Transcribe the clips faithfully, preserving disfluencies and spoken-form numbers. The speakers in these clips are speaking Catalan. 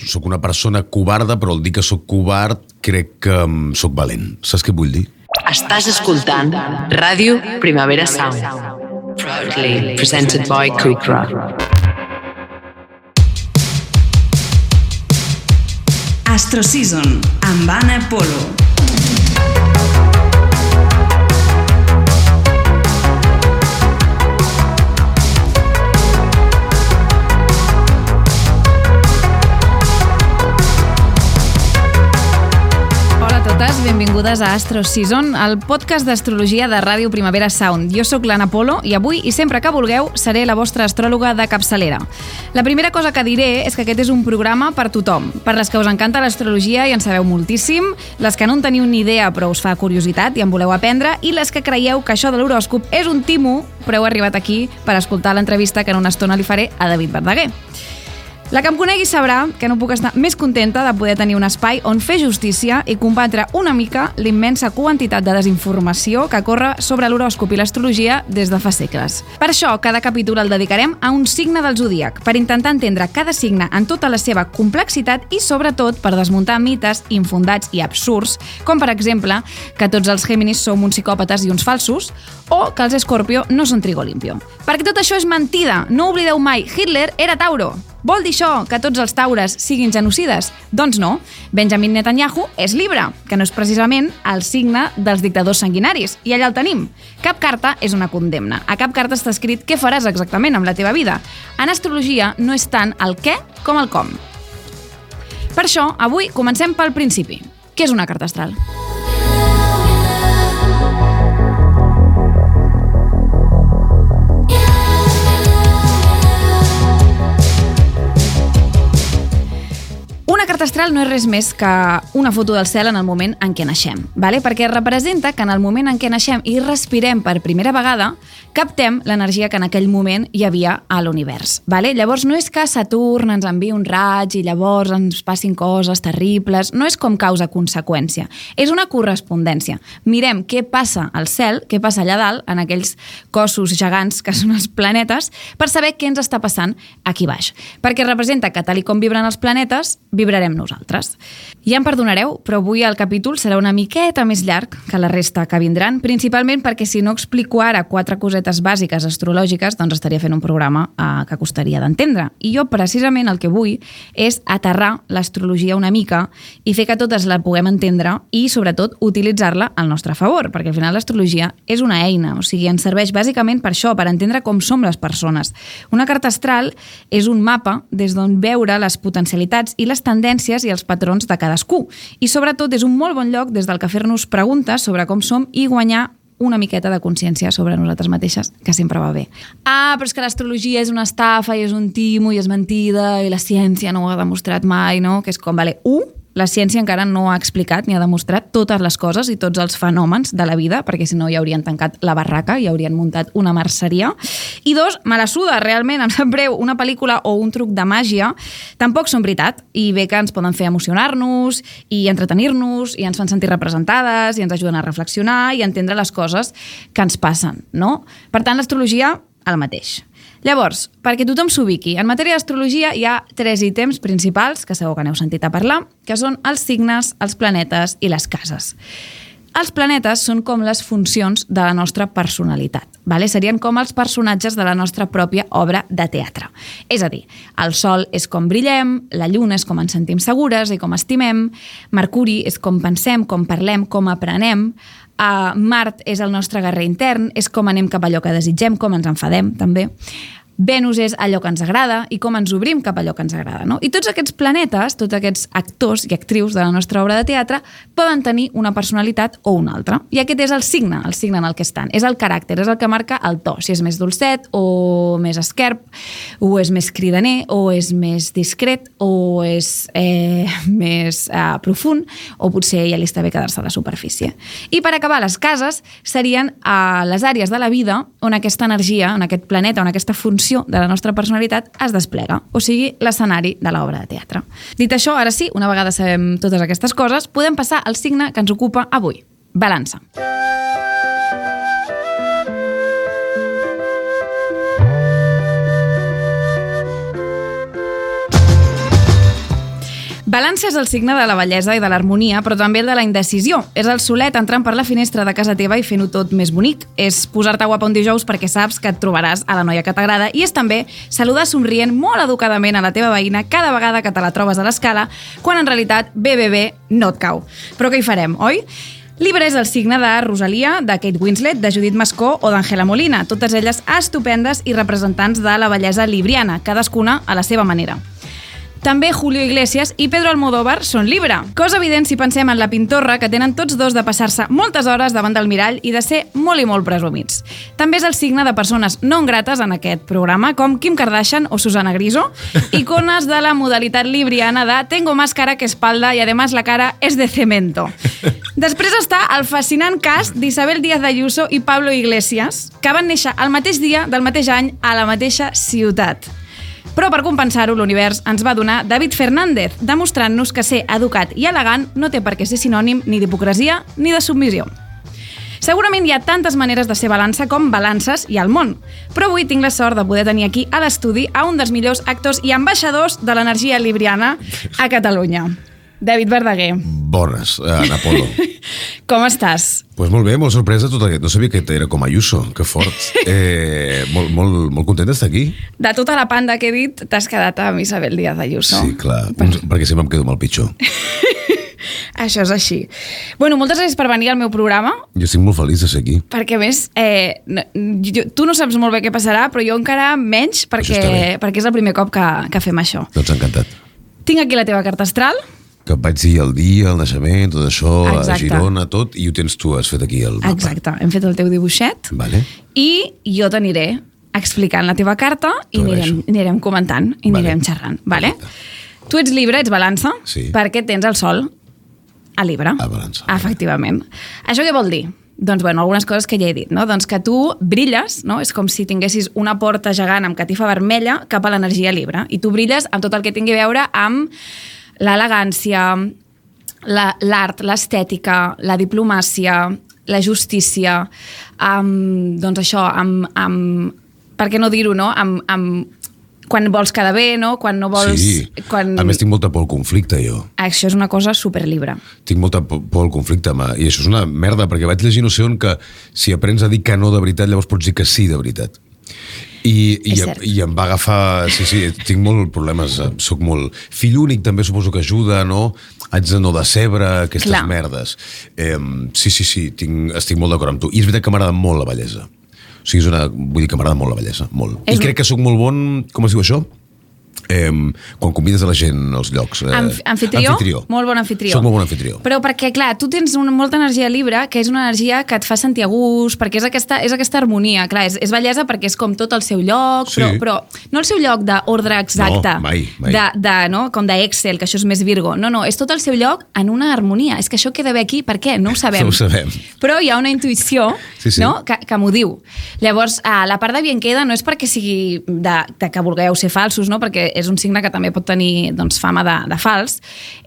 soc una persona covarda, però al dir que soc covard crec que soc valent. Saps què vull dir? Estàs escoltant Ràdio Primavera Sound. Proudly presented by Kukra. Astro Season amb Anna Polo. Benvingudes a Astro Season, el podcast d'astrologia de Ràdio Primavera Sound. Jo sóc l'Anna Polo i avui, i sempre que vulgueu, seré la vostra astròloga de capçalera. La primera cosa que diré és que aquest és un programa per tothom, per les que us encanta l'astrologia i en sabeu moltíssim, les que no en teniu ni idea però us fa curiositat i en voleu aprendre, i les que creieu que això de l'horòscop és un timo, però heu arribat aquí per escoltar l'entrevista que en una estona li faré a David Verdaguer. La que em conegui sabrà que no puc estar més contenta de poder tenir un espai on fer justícia i combatre una mica l'immensa quantitat de desinformació que corre sobre l'horòscop i l'astrologia des de fa segles. Per això, cada capítol el dedicarem a un signe del zodíac, per intentar entendre cada signe en tota la seva complexitat i, sobretot, per desmuntar mites infundats i absurds, com, per exemple, que tots els Géminis som uns psicòpates i uns falsos, o que els Escorpio no són trigo limpio. Perquè tot això és mentida! No oblideu mai, Hitler era Tauro! Vol dir això que tots els taures siguin genocides? Doncs no. Benjamin Netanyahu és Libra, que no és precisament el signe dels dictadors sanguinaris. I allà el tenim. Cap carta és una condemna. A cap carta està escrit què faràs exactament amb la teva vida. En astrologia no és tant el què com el com. Per això, avui comencem pel principi. Què és una carta astral? Una carta astral no és res més que una foto del cel en el moment en què naixem, vale? Perquè representa que en el moment en què naixem i respirem per primera vegada, captem l'energia que en aquell moment hi havia a l'univers. Vale? Llavors no és que Saturn ens enviï un raig i llavors ens passin coses terribles, no és com causa-conseqüència, és una correspondència. Mirem què passa al cel, què passa allà dalt, en aquells cossos gegants que són els planetes, per saber què ens està passant aquí baix. Perquè representa que tal i com vibren els planetes, vibrarem nosaltres. Ja em perdonareu, però avui el capítol serà una miqueta més llarg que la resta que vindran, principalment perquè si no explico ara quatre cosetes bàsiques astrològiques, doncs estaria fent un programa eh, que costaria d'entendre. I jo precisament el que vull és aterrar l'astrologia una mica i fer que totes la puguem entendre i sobretot utilitzar-la al nostre favor, perquè al final l'astrologia és una eina, o sigui, ens serveix bàsicament per això, per entendre com som les persones. Una carta astral és un mapa des d'on veure les potencialitats i les tendències i els patrons de cadascú. I sobretot és un molt bon lloc des del que fer-nos preguntes sobre com som i guanyar una miqueta de consciència sobre nosaltres mateixes, que sempre va bé. Ah, però és que l'astrologia és una estafa i és un timo i és mentida i la ciència no ho ha demostrat mai, no? Que és com, vale, u, la ciència encara no ha explicat ni ha demostrat totes les coses i tots els fenòmens de la vida, perquè si no ja haurien tancat la barraca i haurien muntat una merceria. I dos, me la suda, realment, em sap greu, una pel·lícula o un truc de màgia tampoc són veritat, i bé que ens poden fer emocionar-nos i entretenir-nos i ens fan sentir representades i ens ajuden a reflexionar i a entendre les coses que ens passen, no? Per tant, l'astrologia, el mateix. Llavors, perquè tothom s'ubiqui, en matèria d'astrologia hi ha tres ítems principals, que segur que n'heu sentit a parlar, que són els signes, els planetes i les cases. Els planetes són com les funcions de la nostra personalitat, vale? Serien com els personatges de la nostra pròpia obra de teatre. És a dir, el Sol és com brillem, la Lluna és com ens sentim segures i com estimem, Mercuri és com pensem, com parlem, com aprenem, Uh, Mart és el nostre guerrer intern, és com anem cap a allò que desitgem, com ens enfadem, també. Venus és allò que ens agrada i com ens obrim cap a allò que ens agrada, no? I tots aquests planetes, tots aquests actors i actrius de la nostra obra de teatre poden tenir una personalitat o una altra. I aquest és el signe, el signe en el que estan. És el caràcter, és el que marca el to. Si és més dolcet o més esquerp, o és més cridaner, o és més discret, o és eh, més eh, profund, o potser ja li està bé quedar-se a la superfície. I per acabar, les cases serien eh, les àrees de la vida on aquesta energia, on aquest planeta, on aquesta funció de la nostra personalitat es desplega, o sigui, l'escenari de l'obra de teatre. Dit això, ara sí, una vegada sabem totes aquestes coses, podem passar al signe que ens ocupa avui, balança. Balança és el signe de la bellesa i de l'harmonia, però també el de la indecisió. És el solet entrant per la finestra de casa teva i fent-ho tot més bonic. És posar-te guapa un dijous perquè saps que et trobaràs a la noia que t'agrada i és també saludar somrient molt educadament a la teva veïna cada vegada que te la trobes a l'escala, quan en realitat bé, bé, bé, no et cau. Però què hi farem, oi? Libra és el signe de Rosalia, de Kate Winslet, de Judith Mascó o d'Angela Molina, totes elles estupendes i representants de la bellesa libriana, cadascuna a la seva manera. També Julio Iglesias i Pedro Almodóvar són Libra. Cosa evident si pensem en la pintorra, que tenen tots dos de passar-se moltes hores davant del mirall i de ser molt i molt presumits. També és el signe de persones no grates en aquest programa, com Kim Kardashian o Susana Griso, icones de la modalitat libriana de tengo más cara que espalda i además la cara es de cemento. Després està el fascinant cas d'Isabel Díaz Ayuso i Pablo Iglesias, que van néixer el mateix dia del mateix any a la mateixa ciutat. Però per compensar-ho, l'univers ens va donar David Fernández, demostrant-nos que ser educat i elegant no té per què ser sinònim ni d'hipocresia ni de submissió. Segurament hi ha tantes maneres de ser balança com balances hi ha al món, però avui tinc la sort de poder tenir aquí a l'estudi a un dels millors actors i ambaixadors de l'energia libriana a Catalunya. David Verdaguer. Bones, Ana Polo. Com estàs? Pues molt bé, molt sorpresa tot aquest. No sabia que era com Ayuso, que fort. Eh, molt, molt, molt content d'estar aquí. De tota la panda que he dit, t'has quedat amb Isabel Díaz Ayuso. Sí, clar, per... perquè sempre em quedo amb el pitjor. Això és així. Bueno, moltes gràcies per venir al meu programa. Jo estic molt feliç de ser aquí. Perquè, a més, eh, jo, tu no saps molt bé què passarà, però jo encara menys, perquè, perquè és el primer cop que, que fem això. Doncs encantat. Tinc aquí la teva carta astral. Que et vaig dir el dia, el naixement, tot això, Exacte. A Girona, tot, i ho tens tu, has fet aquí el mapa. Exacte, hem fet el teu dibuixet. Vale. I jo t'aniré explicant la teva carta i anirem, anirem comentant i vale. Anirem xerrant. Vale? Tu ets Libra, ets balança, sí. Perquè tens el sol a Libra. A balança. Efectivament. Això què vol dir? Doncs, bueno, algunes coses que ja he dit, no? Doncs que tu brilles, no? És com si tinguessis una porta gegant amb catifa vermella cap a l'energia Libra. I tu brilles amb tot el que tingui a veure amb l'elegància, l'art, l'estètica, la diplomàcia, la justícia, amb, doncs això, amb, amb, per què no dir-ho, no? Amb, amb, quan vols quedar bé, no? Quan no vols... Sí, quan... a més tinc molta por al conflicte, jo. Això és una cosa superlibre. Tinc molta por al conflicte, i això és una merda, perquè vaig llegir no sé on que si aprens a dir que no de veritat, llavors pots dir que sí de veritat. I, i, i em va agafar... Sí, sí, tinc molts problemes. Soc molt... Fill únic també suposo que ajuda, no? Haig de no decebre, aquestes Clar. merdes. Eh, sí, sí, sí, tinc, estic molt d'acord amb tu. I és veritat que m'agrada molt la bellesa. O sigui, és una, vull dir que m'agrada molt la bellesa, molt. És I crec que sóc molt bon... Com es diu això? Eh, quan convides a la gent als llocs. Eh, Amf anfitrió? Anfitrió. Molt bon anfitrió. Soc molt bon anfitrió. Però perquè, clar, tu tens una, molta energia Libra, que és una energia que et fa sentir a gust, perquè és aquesta, és aquesta harmonia. Clar, és, és bellesa perquè és com tot al seu lloc, sí. però, però no el seu lloc d'ordre exacte. No, mai, mai. De, de, no? Com d'Excel, que això és més Virgo. No, no, és tot el seu lloc en una harmonia. És que això queda bé aquí, per què? No ho sabem. No ho sabem. Però hi ha una intuïció sí, sí. No? que, que m'ho diu. Llavors, la part de bien queda no és perquè sigui de, de que vulgueu ser falsos, no? Perquè és un signe que també pot tenir doncs, fama de, de fals,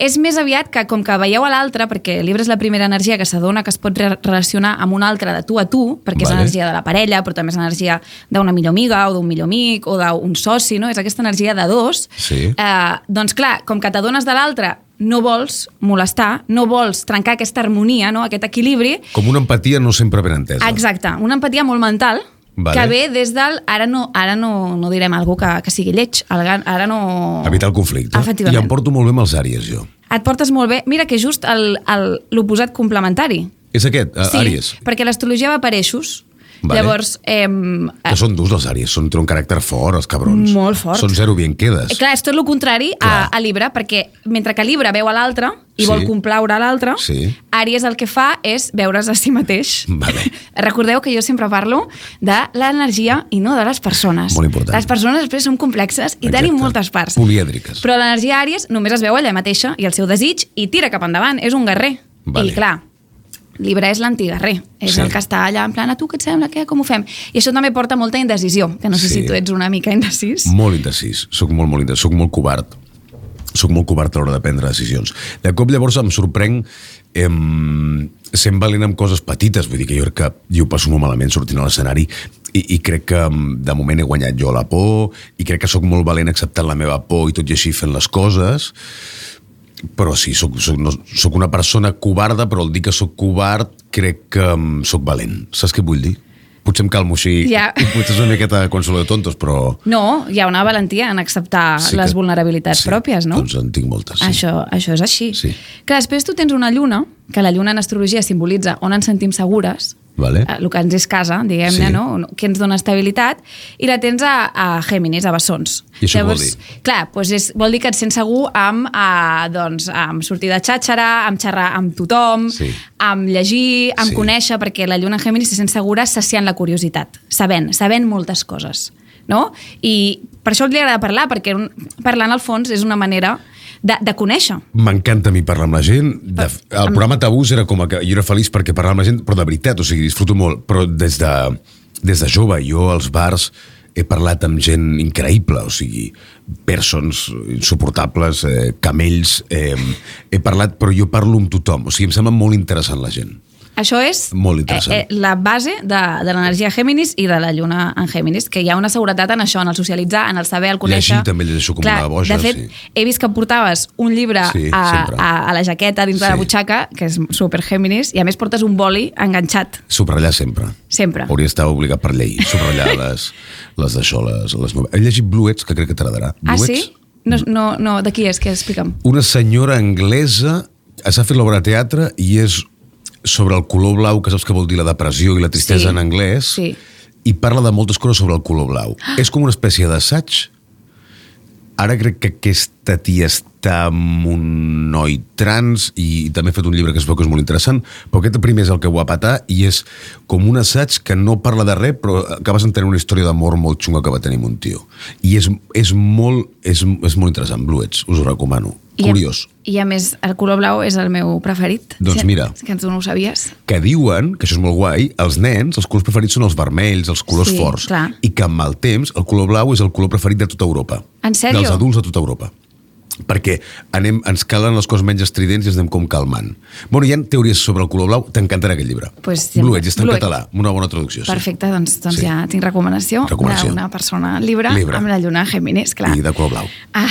és més aviat que com que veieu a l'altre, perquè el Libra és la primera energia que s'adona que es pot re relacionar amb una altra de tu a tu, perquè vale. És l'energia de la parella, però també és l'energia d'una millor amiga o d'un millor amic o d'un soci, no? És aquesta energia de dos. Sí. Eh, doncs clar, com que t'adones de l'altre, no vols molestar, no vols trencar aquesta harmonia, no? Aquest equilibri. Com una empatia no sempre ben entesa. Exacte, una empatia molt mental, vale. Que ve des del... Ara no, ara no, no direm alguna que, que sigui lleig, ara no... Evitar el conflicte. I em porto molt bé amb els àries, jo. Et portes molt bé. Mira que just l'oposat complementari. És aquest, sí, àries? Sí, perquè l'astrologia va per eixos. Vale. Llavors... Eh, que són durs els àries, són, tenen un caràcter fort, els cabrons. Molt fort. Són zero bien quedes. Clar, és tot el contrari a, a Libra, perquè mentre que Libra veu a l'altre i sí. vol complaure a l'altre, sí. Àries el que fa és veure's a si mateix. Vale. Recordeu que jo sempre parlo de l'energia i no de les persones. Molt important. Les persones després són complexes i Exacte. Tenim moltes parts. Polièdriques. Però l'energia Àries només es veu ella mateixa i el seu desig i tira cap endavant, és un guerrer. Vale. I clar, Libra és l'antiguerrer, és sí. el que està allà en plan, a tu què et sembla, què, com ho fem? I això també porta molta indecisió, que no sé sí. si tu ets una mica indecís. Molt indecís, soc molt, molt indecís, soc molt covard. Soc molt covard a l'hora de prendre decisions. De cop llavors em sorprenc em, sent valent amb coses petites, vull dir que jo crec que jo ho passo molt malament sortint a l'escenari i, i crec que de moment he guanyat jo la por i crec que sóc molt valent acceptant la meva por i tot i així fent les coses. Però sí, soc, soc, no, soc una persona covarda, però al dir que soc covard crec que um, soc valent. Saps què vull dir? Potser em calmo així, ja. Potser és una miqueta consuelo de tontos, però... No, hi ha una valentia en acceptar sí les que... vulnerabilitats sí, pròpies, no? Doncs en tinc moltes, sí. Això, això és així. Sí. Que després tu tens una lluna, que la lluna en astrologia simbolitza on ens sentim segures, vale. El que ens és casa, diguem-ne, sí. no? Que ens dona estabilitat, i la tens a, a Géminis, a Bessons. I això Llavors, vol dir? Clar, doncs és, vol dir que et sents segur amb, a, doncs, amb sortir de xàxera, amb xerrar amb tothom, sí. amb llegir, amb sí. conèixer, perquè la lluna en Géminis se sent segura saciant la curiositat, sabent, sabent moltes coses, no? I per això li agrada parlar, perquè un, parlar en el fons és una manera de, de conèixer. M'encanta a mi parlar amb la gent. De, el programa Tabús era com que jo era feliç perquè parlava amb la gent, però de veritat, o sigui, disfruto molt. Però des de, des de jove, jo als bars he parlat amb gent increïble, o sigui, persons insuportables, eh, camells, eh, he parlat, però jo parlo amb tothom, o sigui, em sembla molt interessant la gent. Això és molt interessant. Eh, eh, la base de, de l'energia Géminis i de la lluna en Géminis, que hi ha una seguretat en això, en el socialitzar, en el saber, el conèixer. Llegir també llegeixo com Clar, una boja. De fet, sí. he vist que portaves un llibre sí, a, a, a la jaqueta dins sí. de la butxaca, que és super Géminis, i a més portes un boli enganxat. Subratllar sempre. Sempre. Hauria d'estar obligat per llei. Subratllar les, les d'això, les, les novel·les. He llegit Bluets, que crec que t'agradarà. Ah, sí? No, no, no, de qui és? Que explica'm. Una senyora anglesa s'ha fet l'obra de teatre i és sobre el color blau, que saps què vol dir la depressió i la tristesa sí, en anglès, sí. i parla de moltes coses sobre el color blau. Ah. És com una espècie d'assaig. Ara crec que aquesta tia està amb un noi trans i també ha fet un llibre que es veu que és molt interessant, però aquest primer és el que ho va patar i és com un assaig que no parla de res, però acabes entenent una història d'amor molt xunga que va tenir un tio. I és, és, molt, és, és molt interessant, Bluets, us ho recomano. I Curiós. A, I a més, el color blau és el meu preferit. Doncs mira. Que tu no ho sabies. Que diuen, que això és molt guai, els nens, els colors preferits són els vermells, els colors sí, forts. Clar. I que amb el temps el color blau és el color preferit de tota Europa. En sèrio? Dels adults de tota Europa. Perquè anem, ens calen les coses menys estridents i ens anem com calmant. Bueno, hi ha teories sobre el color blau, t'encantarà aquest llibre. Pues, Bluets, està en Bluets. Català, una bona traducció. Perfecte, sí. doncs, doncs sí. ja tinc recomanació, recomanació. d'una persona llibre, llibre amb la lluna Géminis, clar. I de color blau. Ah,